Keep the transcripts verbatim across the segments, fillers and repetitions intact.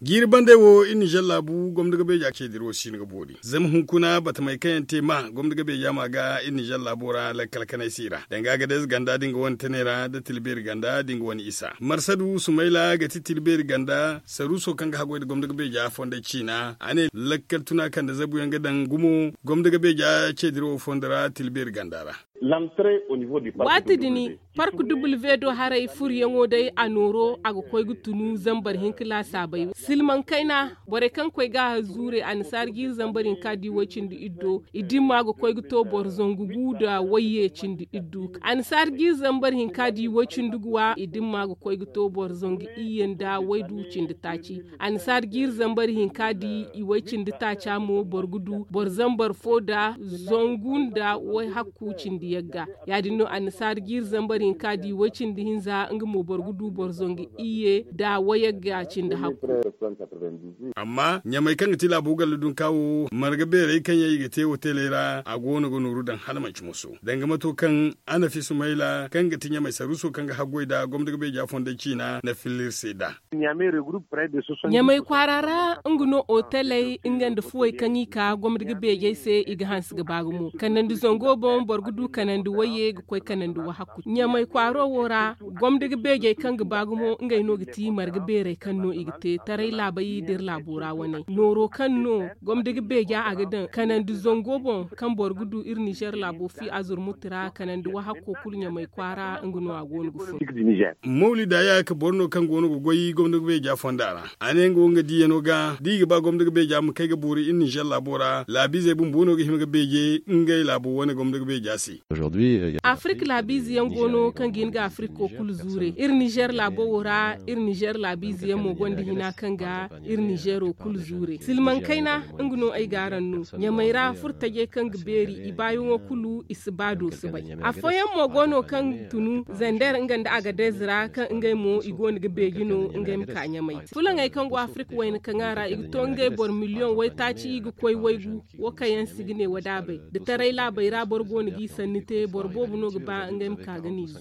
Jiiri bandey wo iri nizer laabu gomni ga beeja ceediro si no ga boori zama hunkuna batamey kaŋ yaŋ te ma gomni ga beeja ma ga iri nizer laabo ra lakkal kanay se i ra danga ga day ze ganda da nga wane tanay ra da tilbeeri ganda da nga wane isa marsadu sumayla ga ti tilbeeri ganda saruuso kaŋ ga haggoy nda gomni ga beeja fondey ciina a ne lakkal tuna kaŋ nda zabu yaŋ ga daŋ gumo gomni ga beeja ceediro wo fondo ra tilbeeri ganda ra. Waati din park duble do haray furyaŋo day a nooro a ga koy ga tunu zambar hinka laasaabey silmaŋ kayna borey kaŋ koy ga a zuure annasaara jiiri zambar hinka da i way cindi iddo i dimma ga koy ga to boro zangu gu nda wayye cindi iddu annasaara jiiri zambar hinka da i way cindi guwa i dimma ga koy ga to boro zangu iyye nda waydu cindi taaci. Annasaara jiiri zambar hinka da i way cindi taaca mo boro ga du boro zambar fo nda zangu nda wayhakku cindi yagga. Ya- din no annasaara jiiri zambar hinka da i way cindi hinza nga mo boro ga du boro zangu iyye nda wayagga cindi hakku. Amma ɲamay kaŋ ga ti laabo galla dunka wo marga beerey kaŋ yaŋ i ga te hoteley ra a go no ga nooru daŋ hala manci moso danga mato kaŋ a na fi sumayla kaŋ ga ti ɲamay saruuso kaŋ ga haggoy nda gomni ga beeja fondey ciina na filla iri se nd'a. Ɲamay kwaara ra nga no oteley nga nda fuwey kaŋ i ka gomni ga beejey se i ga hanse ga ba gumo kanandi zango boŋ boro ga du kanandi wayye ga koy kanandi wahakku ɲamay kwaaro wo ra gomni ga beejey kaŋ ga ba gumo ngey no ga ti marga beerey kaŋ no i ga te taray laabey da iri laabo ra wane nooro kaŋ no gomni ga beeja a ga daŋ kanandi zango boŋ kaŋ boro ga du iri nizer laabo fi azurmuti ra kanandi wahakko kulu ɲamay kwaara nga no a go no ga fun. Mawlida ya ka boro no kaŋ go no ga goy gomni ga beeja fonda ra a ne nga wo nga diiyano ga da i ga ba gomni ga beeja ma kay ga boori iri nizer laabo ra laabiizey bumbo no ga hima ga beeje ngey laabo wane gomni ga beeja se. Afirka laabiize yaŋ go no kaŋ ga hin ga afirka wo kulu zuure iri nizer laabo wo ra iri nizer laabiize yaŋ mo gonda hina kaŋ ga iri nizer wo kulu zuure silmaŋ kayna nga no ay ga araŋ no ɲamay ra furo tajey kaŋ ga beeri i baayaŋo kulu i si ba do si bay. Afooyaŋ mo go no kaŋ tunu zander nga nda agadez ra kaŋ ngey mo i go no ga beeji no ngey ma ka ɲamay fulaŋey kaŋ go afirka wayna kaŋ a ra i ga to ngey boro miliyoŋ waytaaci i ga koy waygu wo kaŋ yaŋ si ga ne wadaabey da taray laabey ra boro go no g'i sanni te boro boobo no ga ba ngey ma ka ga n'i zu.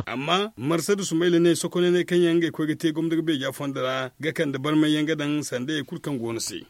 Amma marsadu sumayla ne sokonaney kaŋ yaŋ ngey koy ga te gomni ga beeja fondo ra ga kande barmay yaŋ ga daŋ sanda hari kulu kaŋ go no se.